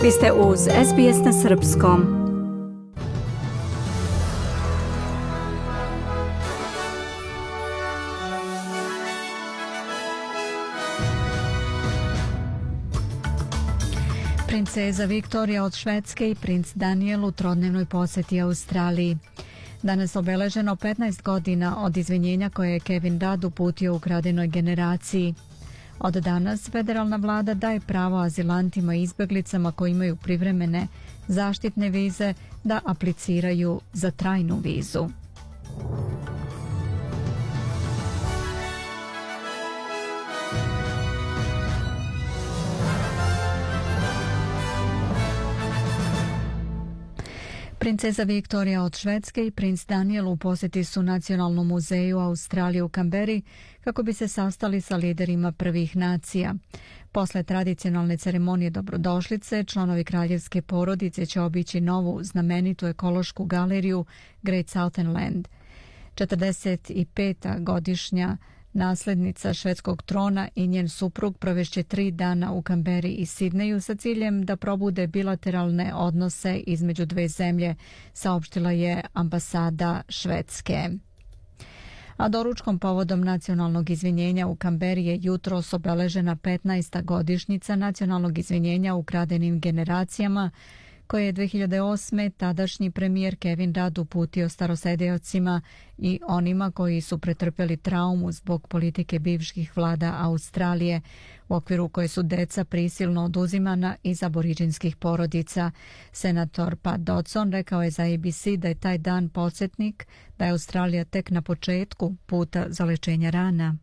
Vi ste uz SBS na srpskom. Princeza Viktorija od Švedske i princ Daniel u trodnevnoj posjeti Australiji. Danas obeleženo 15 godina od izvinjenja koje je Kevin Rudd uputio ukradenoj generaciji. Od danas federalna vlada daje pravo azilantima i izbjeglicama koji imaju privremene zaštitne vize da apliciraju za trajnu vizu. Princeza Viktorija od Švedske i princ Daniel u posjeti su Nacionalnom muzeju Australije u Kamberi kako bi se sastali sa liderima prvih nacija. Posle tradicionalne ceremonije dobrodošlice, članovi kraljevske porodice će obići novu znamenitu ekološku galeriju Great Southern Land. 45. godišnja naslednica švedskog trona i njen suprug provešće 3 dana u Kamberi i Sidneju sa ciljem da probude bilateralne odnose između dve zemlje, saopštila je ambasada Švedske. A doručkom povodom nacionalnog izvinjenja u Kamberi je jutros obeležena 15. godišnjica nacionalnog izvinjenja ukradenim generacijama, koje je 2008. tadašnji premijer Kevin Rudd uputio starosedeocima i onima koji su pretrpjeli traumu zbog politike bivših vlada Australije, u okviru koje su deca prisilno oduzimana iz aboriđinskih porodica. Senator Pat Dodson rekao je za ABC da je taj dan podsjetnik da je Australija tek na početku puta za lečenje rana.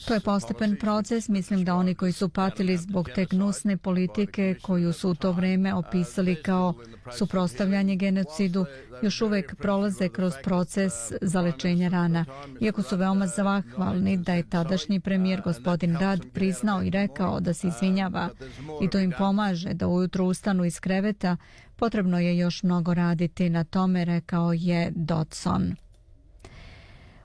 To je postepen proces. Mislim da oni koji su patili zbog te gnusne politike koju su u to vrijeme opisali kao suprotstavljanje genocidu, još uvijek prolaze kroz proces zalečenja rana. Iako su veoma zahvalni da je tadašnji premijer gospodin Rudd priznao i rekao da se izvinjava i to im pomaže da ujutro ustanu iz kreveta, potrebno je još mnogo raditi na tome, rekao je Dodson.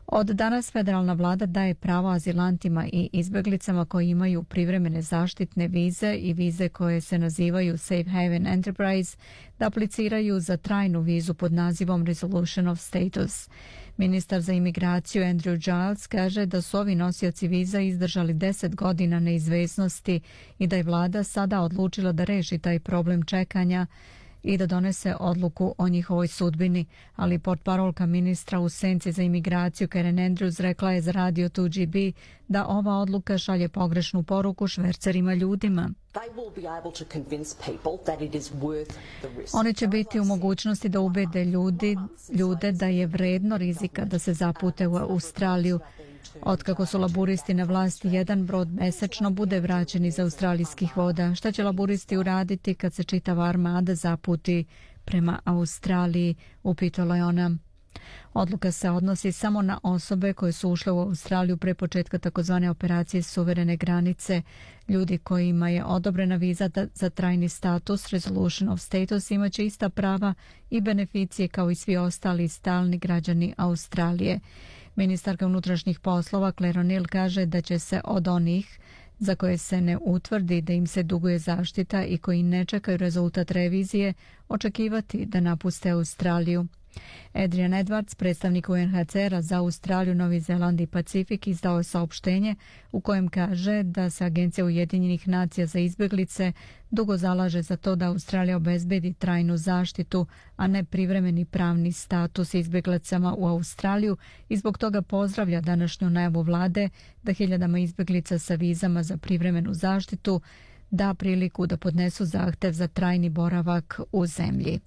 Od danas federalna vlada daje pravo azilantima i izbjeglicama koji imaju privremene zaštitne vize i vize koje se nazivaju Safe Haven Enterprise da apliciraju za trajnu vizu pod nazivom Resolution of Status. Ministar za imigraciju Andrew Giles kaže da su ovi nosioci viza izdržali 10 godina neizvesnosti i da je vlada sada odlučila da reši taj problem čekanja i da donese odluku o njihovoj sudbini, ali portparolka ministra u senci za imigraciju Karen Andrews rekla je za radio 2GB da ova odluka šalje pogrešnu poruku švercerima ljudima. Oni će biti u mogućnosti da ubede ljude da je vredno rizika da se zapute u Australiju. Otkako su laburisti na vlasti, jedan brod mesečno bude vraćen iz australijskih voda. Šta će laburisti uraditi kad se čitava armada zaputi prema Australiji, upitala je ona. Odluka se odnosi samo na osobe koje su ušle u Australiju pre početka takozvane operacije suverene granice. Ljudi kojima je odobrena viza za trajni status Resolution of Status imaće ista prava i beneficije kao i svi ostali stalni građani Australije. Ministarka unutrašnjih poslova Claire O'Neill kaže da će se od onih za koje se ne utvrdi da im se duguje zaštita i koji ne čekaju rezultat revizije očekivati da napuste Australiju. Adrian Edwards, predstavnik UNHCR-a za Australiju, Novi Zeland i Pacifik, izdao je saopštenje u kojem kaže da se Agencija Ujedinjenih nacija za izbjeglice dugo zalaže za to da Australija obezbedi trajnu zaštitu, a ne privremeni pravni status izbjeglicama u Australiju i zbog toga pozdravlja današnju najavu vlade da hiljadama izbjeglica sa vizama za privremenu zaštitu da priliku da podnesu zahtev za trajni boravak u zemlji.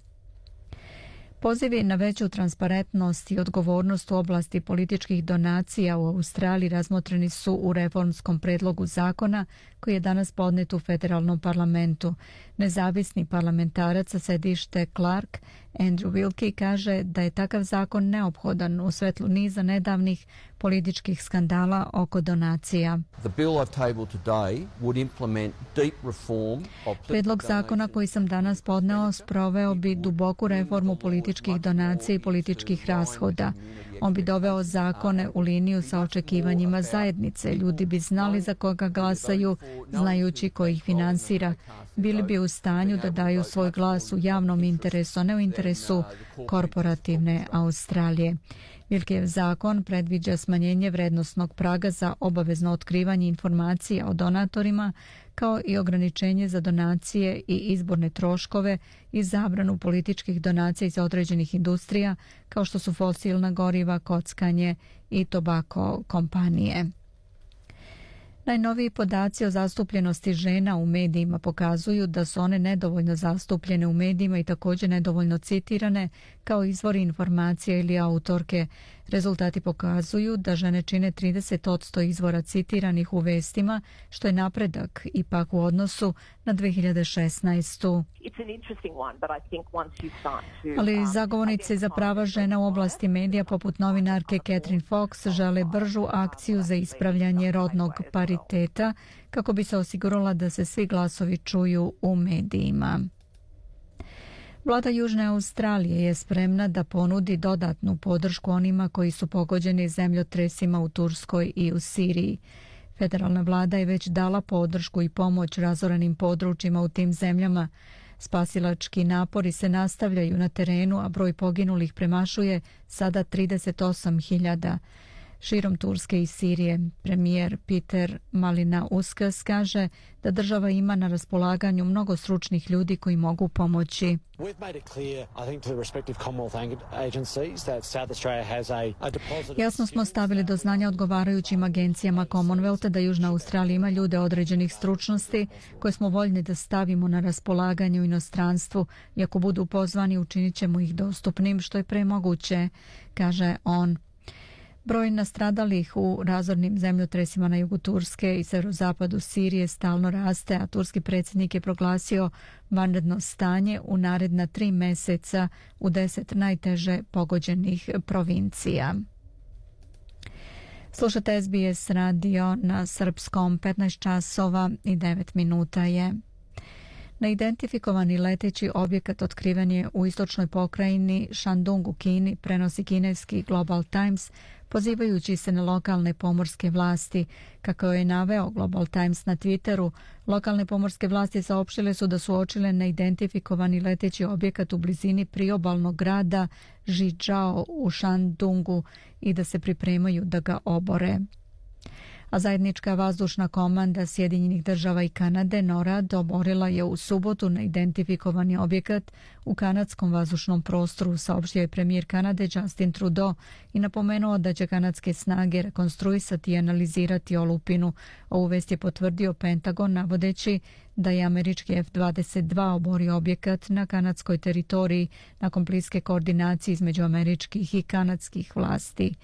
Pozivi na veću transparentnost i odgovornost u oblasti političkih donacija u Australiji razmotreni su u reformskom predlogu zakona koji je danas podnet u federalnom parlamentu. Nezavisni parlamentarac sa sedište Clark, Andrew Wilkie, kaže da je takav zakon neophodan u svetlu niza nedavnih političkih skandala oko donacija. Predlog zakona koji sam danas podneo sproveo bi duboku reformu političkih donacija i političkih rashoda. On bi doveo zakone u liniju sa očekivanjima zajednice. Ljudi bi znali za koga glasaju, znajući ko ih finansira. Bili bi u stanju da daju svoj glas u javnom interesu, a ne u interesu korporativne Australije. Wilkejev zakon predviđa smanjenje vrednosnog praga za obavezno otkrivanje informacija o donatorima, kao i ograničenje za donacije i izborne troškove i zabranu političkih donacija iz određenih industrija, kao što su fosilna goriva, kockanje i tobako kompanije. Najnoviji podaci o zastupljenosti žena u medijima pokazuju da su one nedovoljno zastupljene u medijima i također nedovoljno citirane kao izvori informacija ili autorke. Rezultati pokazuju da žene čine 30% izvora citiranih u vestima, što je napredak ipak u odnosu na 2016. Ali zagovornici za prava žena u oblasti medija poput novinarke Catherine Fox žele bržu akciju za ispravljanje rodnog pariteta kako bi se osigurala da se svi glasovi čuju u medijima. Vlada Južne Australije je spremna da ponudi dodatnu podršku onima koji su pogođeni zemljotresima u Turskoj i u Siriji. Federalna vlada je već dala podršku i pomoć razorenim područjima u tim zemljama. Spasilački napori se nastavljaju na terenu, a broj poginulih premašuje sada 38.000. Širom Turske i Sirije, premijer Peter Malinauskas kaže da država ima na raspolaganju mnogo stručnih ljudi koji mogu pomoći. Jasno smo stavili do znanja odgovarajućim agencijama Commonwealtha da Južna Australija ima ljude određenih stručnosti koje smo voljni da stavimo na raspolaganje u inostranstvu i ako budu pozvani učinit ćemo ih dostupnim što je premoguće, kaže on. Broj nastradalih u razornim zemljotresima na jugu Turske i severozapadu Sirije stalno raste, a turski predsjednik je proglasio vanredno stanje u naredna 3 mjeseca u 10 najteže pogođenih provincija. Slušate SBS radio na srpskom, 15 časova i 9 minuta je. Neidentifikovani leteći objekat otkriven je u istočnoj pokrajini Shandong u Kini, prenosi kineski Global Times, pozivajući se na lokalne pomorske vlasti. Kako je naveo Global Times na Twitteru, lokalne pomorske vlasti saopštile su da su uočile neidentifikovani leteći objekat u blizini priobalnog grada Zhizhou u Shandongu i da se pripremaju da ga obore. A zajednička vazdušna komanda Sjedinjenih država i Kanade NORAD oborila je u subotu neidentifikovani objekat u kanadskom vazdušnom prostoru, saopštio je premijer Kanade Justin Trudeau i napomenuo da će kanadske snage rekonstruisati i analizirati olupinu. Ovu vest je potvrdio Pentagon navodeći da je američki F-22 oborio objekat na kanadskoj teritoriji nakon bliske koordinacije između američkih i kanadskih vlasti.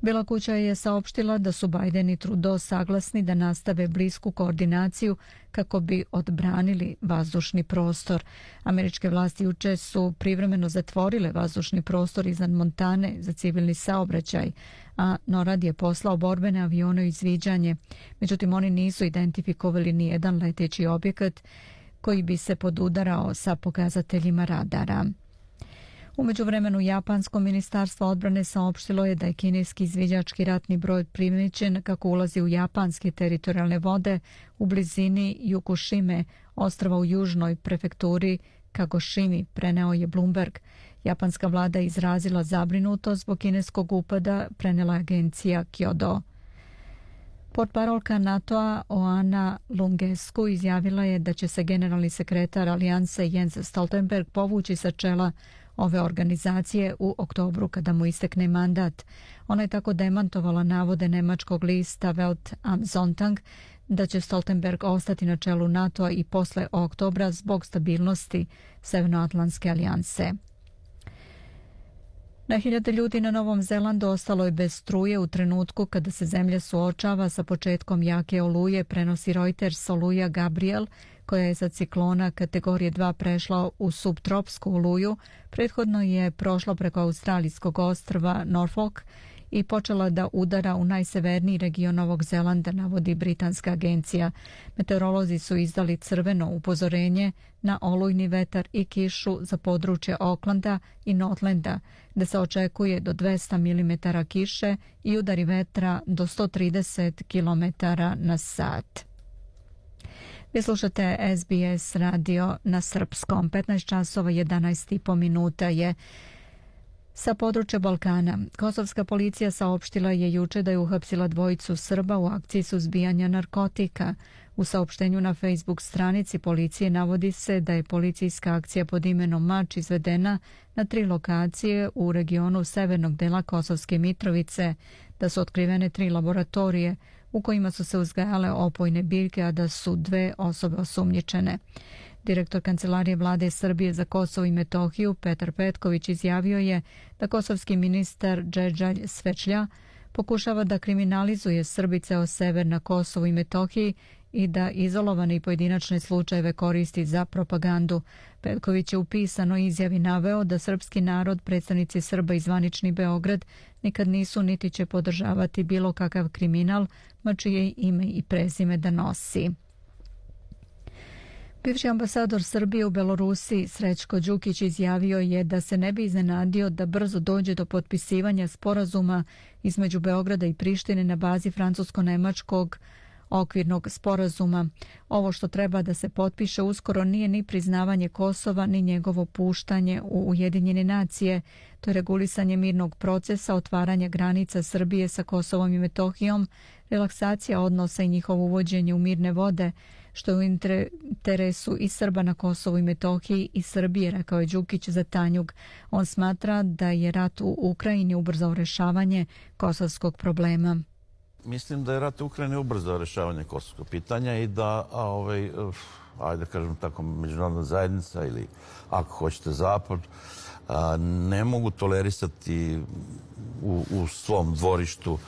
Bela kuća je saopštila da su Biden i Trudeau saglasni da nastave blisku koordinaciju kako bi odbranili vazdušni prostor. Američke vlasti juče su privremeno zatvorile vazdušni prostor iznad Montane za civilni saobraćaj, a NORAD je poslao borbene avione u izviđanje. Međutim, oni nisu identifikovali ni jedan leteći objekat koji bi se podudarao sa pokazateljima radara. U međuvremenu Japansko ministarstvo odbrane saopštilo je da je kineski izviđački ratni brod primijećen kako ulazi u japanske teritorijalne vode u blizini Jukušime, ostrva u južnoj prefekturi Kagošimi, preneo je Bloomberg. Japanska vlada je izrazila zabrinutost zbog kineskog upada, prenela agencija Kyodo. Portparolka NATO-a Oana Lungescu izjavila je da će se generalni sekretar alijanse Jens Stoltenberg povući sa čela ove organizacije u oktobru kada mu istekne mandat. Ona je tako demantovala navode nemačkog lista Welt am Sonntag da će Stoltenberg ostati na čelu NATO-a i posle oktobra zbog stabilnosti Severnoatlantske alijanse. Na hiljade ljudi na Novom Zelandu ostalo je bez struje u trenutku kada se zemlja suočava sa početkom jake oluje, prenosi Reuters. Oluja Gabriel, koja je za ciklona kategorije 2 prešla u subtropsku oluju, prethodno je prošla preko australijskog ostrva Norfolk i počela da udara u najseverniji region Novog Zelanda, navodi britanska agencija. Meteorolozi su izdali crveno upozorenje na olujni vetar i kišu za područje Aucklanda i Northlanda, gde se očekuje do 200 mm kiše i udari vetra do 130 km na sat. Vi slušate SBS radio na srpskom. 15 časova 11,5 minuta je sa područja Balkana. Kosovska policija saopštila je juče da je uhapsila dvojicu Srba u akciji suzbijanja narkotika. U saopštenju na Facebook stranici policije navodi se da je policijska akcija pod imenom Mač izvedena na 3 lokacije u regionu severnog dela Kosovske Mitrovice, da su otkrivene 3 laboratorije u kojima su se uzgajale opojne biljke, a da su 2 osobe osumnjičene. Direktor Kancelarije vlade Srbije za Kosovo i Metohiju Petar Petković izjavio je da kosovski ministar Džedžalj Svečlja pokušava da kriminalizuje Srbice o sever na Kosovu i Metohiji i da izolovane i pojedinačne slučajeve koristi za propagandu. Petković je u pisanoj izjavi naveo da srpski narod, predstavnici Srba i zvanični Beograd nikad nisu niti će podržavati bilo kakav kriminal, ma čije ime i prezime da nosi. Bivši ambasador Srbije u Belorusiji Srećko Đukić izjavio je da se ne bi iznenadio da brzo dođe do potpisivanja sporazuma između Beograda i Prištine na bazi francusko-nemačkog okvirnog sporazuma. Ovo što treba da se potpiše uskoro nije ni priznavanje Kosova, ni njegovo puštanje u Ujedinjene nacije. To je regulisanje mirnog procesa, otvaranje granica Srbije sa Kosovom i Metohijom, relaksacija odnosa i njihovo uvođenje u mirne vode, što je u interesu i Srba na Kosovu i Metohiji i Srbije, rekao je Đukić za Tanjug. On smatra da je rat u Ukrajini ubrzao rešavanje kosovskog problema. Mislim da je rat u Ukrajini ubrzao rešavanje kosovskog pitanja i da, ajde kažem tako, međunarodna zajednica ili ako hoćete Zapad, ne mogu tolerisati u svom dvorištu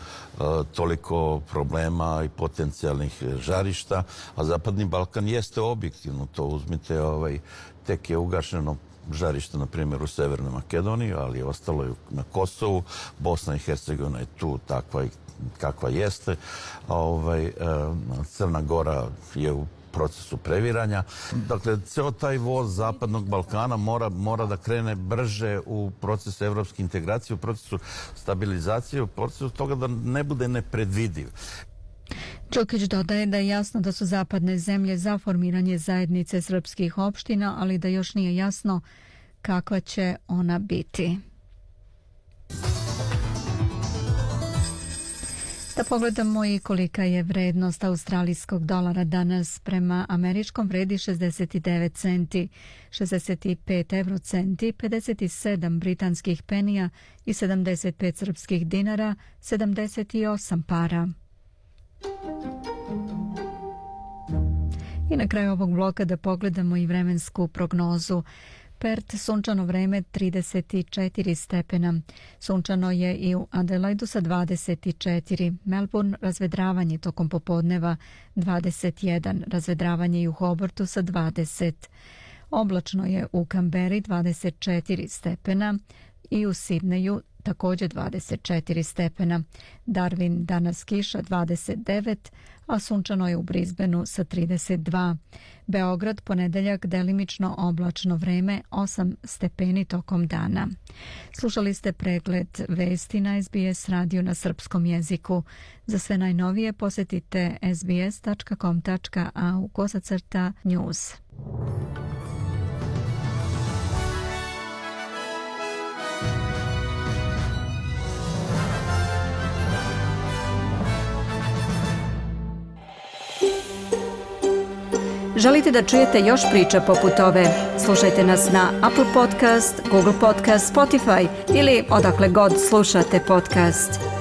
toliko problema i potencijalnih žarišta, a Zapadni Balkan jeste objektivno to. Uzmite, tek je ugašeno žarište, na primjer, u Severnoj Makedoniji, ali ostalo je na Kosovu. Bosna i Hercegovina je tu takva kakva jeste. Crna Gora je u procesu previranja. Dakle, ceo taj voz Zapadnog Balkana mora da krene brže u procesu evropske integracije, u procesu stabilizacije, u procesu toga da ne bude nepredvidiv. Đukić dodaje da je jasno da su zapadne zemlje za formiranje zajednice srpskih opština, ali da još nije jasno kakva će ona biti. Da pogledamo i kolika je vrednost australijskog dolara danas. Prema američkom vredi 69 centi, 65 eurocenti, 57 britanskih penija i 75 srpskih dinara, 78 para. I na kraju ovog bloka da pogledamo i vremensku prognozu. Perth, sunčano vreme 34 stepena. Sunčano je i u Adelaidu sa 24. Melbourne, razvedravanje tokom popodneva 21. Razvedravanje i u Hobartu sa 20. Oblačno je u Kamberi 24 stepena i u Sidneju također 24 stepena. Darwin danas kiša 29, a sunčano je u Brisbaneu sa 32. Beograd ponedeljak delimično oblačno vreme 8 stepeni tokom dana. Slušali ste pregled vesti na SBS radio na srpskom jeziku. Za sve najnovije posjetite sbs.com.au/news. Želite da čujete još priča poput ove? Slušajte nas na Apple Podcast, Google Podcast, Spotify ili odakle god slušate podcast.